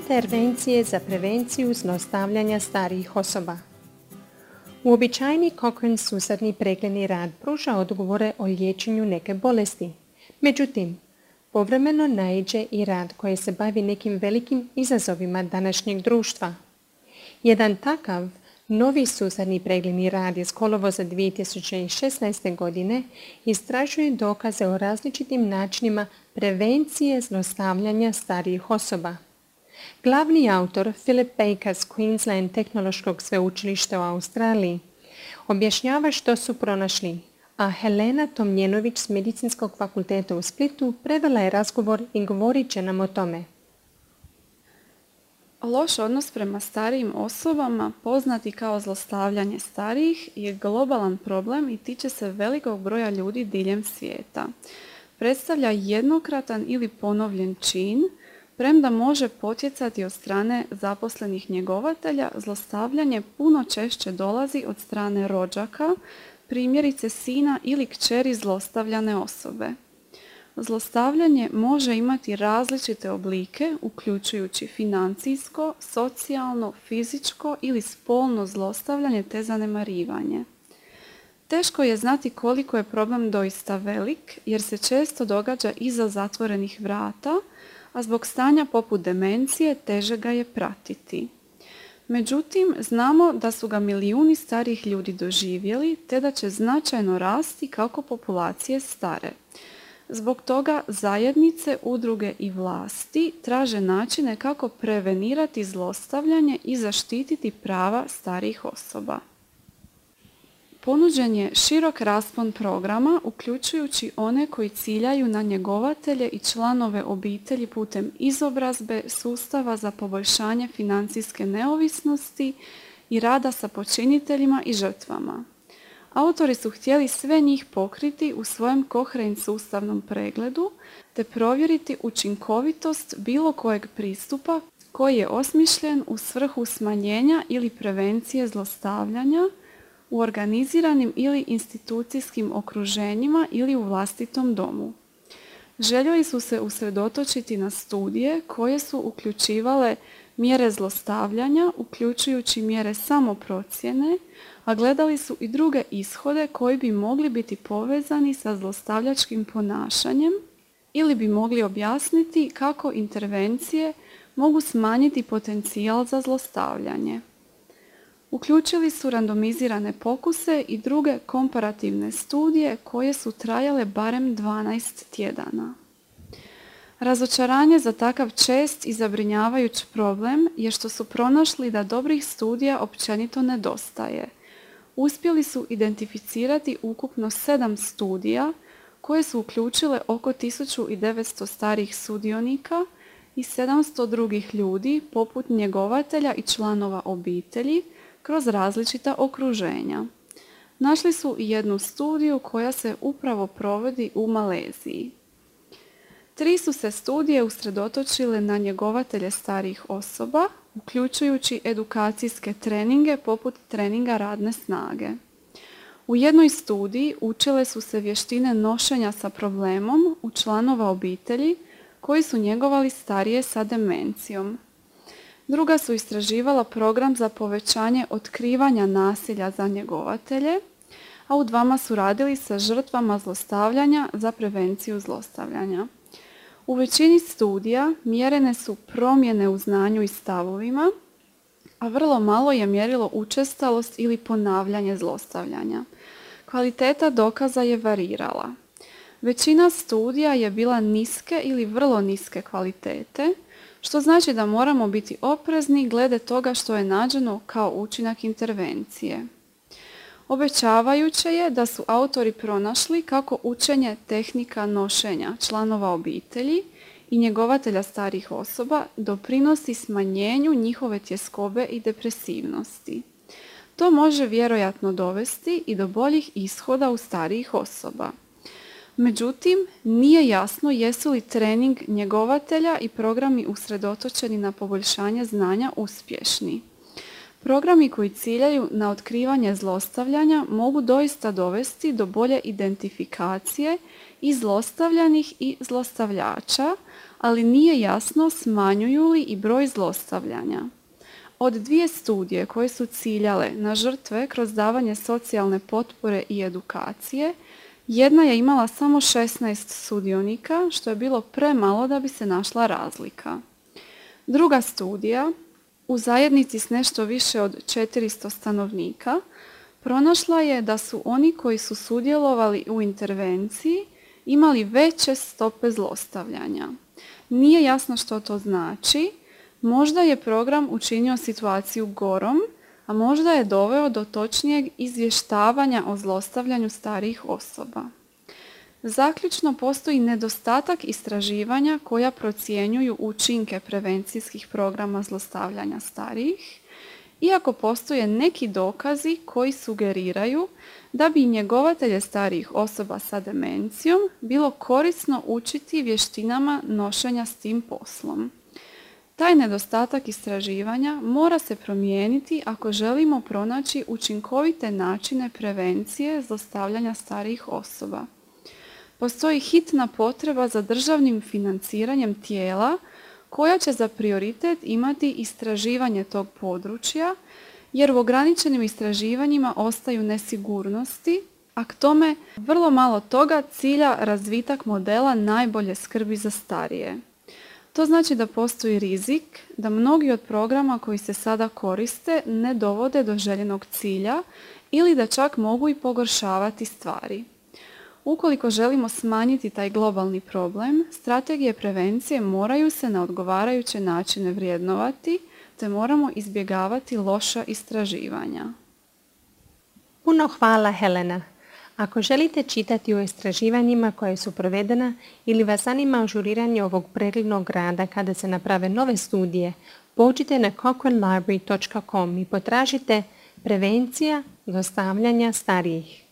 Intervencije za prevenciju zlostavljanja starijih osoba. Uobičajeni Cochrane susadni pregledni rad pruža odgovore o liječenju neke bolesti. Međutim, povremeno naiđe i rad koji se bavi nekim velikim izazovima današnjeg društva. Jedan takav novi susadni pregledni rad iz kolovoza 2016. godine istražuje dokaze o različitim načinima prevencije zlostavljanja starijih osoba. Glavni autor Philip Baker s Queensland tehnološkog sveučilišta u Australiji objašnjava što su pronašli, a Helena Tomljenović s Medicinskog fakulteta u Splitu prevela je razgovor i govorit će nam o tome. Loš odnos prema starijim osobama, poznati kao zlostavljanje starijih, je globalan problem i tiče se velikog broja ljudi diljem svijeta. Predstavlja jednokratan ili ponovljen čin, premda može potjecati od strane zaposlenih njegovatelja, zlostavljanje puno češće dolazi od strane rođaka, primjerice sina ili kćeri zlostavljane osobe. Zlostavljanje može imati različite oblike, uključujući financijsko, socijalno, fizičko ili spolno zlostavljanje te zanemarivanje. Teško je znati koliko je problem doista velik, jer se često događa iza zatvorenih vrata, a zbog stanja poput demencije teže ga je pratiti. Međutim, znamo da su ga milijuni starijih ljudi doživjeli, te da će značajno rasti kako populacije stare. Zbog toga zajednice, udruge i vlasti traže načine kako prevenirati zlostavljanje i zaštititi prava starijih osoba. Ponuđen je širok raspon programa, uključujući one koji ciljaju na njegovatelje i članove obitelji putem izobrazbe, sustava za poboljšanje financijske neovisnosti i rada sa počiniteljima i žrtvama. Autori su htjeli sve njih pokriti u svojem Cochrane sustavnom pregledu te provjeriti učinkovitost bilo kojeg pristupa koji je osmišljen u svrhu smanjenja ili prevencije zlostavljanja u organiziranim ili institucijskim okruženjima ili u vlastitom domu. Željeli su se usredotočiti na studije koje su uključivale mjere zlostavljanja, uključujući mjere samoprocjene, a gledali su i druge ishode koji bi mogli biti povezani sa zlostavljačkim ponašanjem ili bi mogli objasniti kako intervencije mogu smanjiti potencijal za zlostavljanje. Uključili su randomizirane pokuse i druge komparativne studije koje su trajale barem 12 tjedana. Razočaranje za takav čest i zabrinjavajuć problem je što su pronašli da dobrih studija općenito nedostaje. Uspjeli su identificirati ukupno 7 studija koje su uključile oko 1900 starijih sudionika i 700 drugih ljudi poput njegovatelja i članova obitelji kroz različita okruženja. Našli su i jednu studiju koja se upravo provodi u Maleziji. 3 su se studije usredotočile na njegovatelje starijih osoba, uključujući edukacijske treninge poput treninga radne snage. U jednoj studiji učile su se vještine nošenja sa problemom u članova obitelji koji su njegovali starije sa demencijom. Druga su istraživala program za povećanje otkrivanja nasilja za njegovatelje, a u 2 su radili sa žrtvama zlostavljanja za prevenciju zlostavljanja. U većini studija mjerene su promjene u znanju i stavovima, a vrlo malo je mjerilo učestalost ili ponavljanje zlostavljanja. Kvaliteta dokaza je varirala. Većina studija je bila niske ili vrlo niske kvalitete, što znači da moramo biti oprezni glede toga što je nađeno kao učinak intervencije. Obećavajuće je da su autori pronašli kako učenje tehnika nošenja članova obitelji i njegovatelja starijih osoba doprinosi smanjenju njihove tjeskobe i depresivnosti. To može vjerojatno dovesti i do boljih ishoda u starijih osoba. Međutim, nije jasno jesu li trening njegovatelja i programi usredotočeni na poboljšanje znanja uspješni. Programi koji ciljaju na otkrivanje zlostavljanja mogu doista dovesti do bolje identifikacije i zlostavljanih i zlostavljača, ali nije jasno smanjuju li i broj zlostavljanja. Od 2 studije koje su ciljale na žrtve kroz davanje socijalne potpore i edukacije, jedna je imala samo 16 sudionika, što je bilo premalo da bi se našla razlika. Druga studija, u zajednici s nešto više od 400 stanovnika, pronašla je da su oni koji su sudjelovali u intervenciji imali veće stope zlostavljanja. Nije jasno što to znači, možda je program učinio situaciju gorom, a možda je doveo do točnijeg izvještavanja o zlostavljanju starijih osoba. Zaključno, postoji nedostatak istraživanja koja procjenjuju učinke prevencijskih programa zlostavljanja starijih, iako postoje neki dokazi koji sugeriraju da bi njegovatelje starijih osoba sa demencijom bilo korisno učiti vještinama nošenja s tim poslom. Taj nedostatak istraživanja mora se promijeniti ako želimo pronaći učinkovite načine prevencije zlostavljanja starijih osoba. Postoji hitna potreba za državnim financiranjem tijela koja će za prioritet imati istraživanje tog područja, jer u ograničenim istraživanjima ostaju nesigurnosti, a k tome vrlo malo toga cilja razvitak modela najbolje skrbi za starije. To znači da postoji rizik da mnogi od programa koji se sada koriste ne dovode do željenog cilja ili da čak mogu i pogoršavati stvari. Ukoliko želimo smanjiti taj globalni problem, strategije prevencije moraju se na odgovarajuće načine vrednovati, te moramo izbjegavati loša istraživanja. Puno hvala, Helena. Ako želite čitati o istraživanjima koje su provedena ili vas zanima ažuriranje ovog preglednog rada kada se naprave nove studije, pođite na cochranelibrary.com i potražite prevencija zlostavljanja starijih.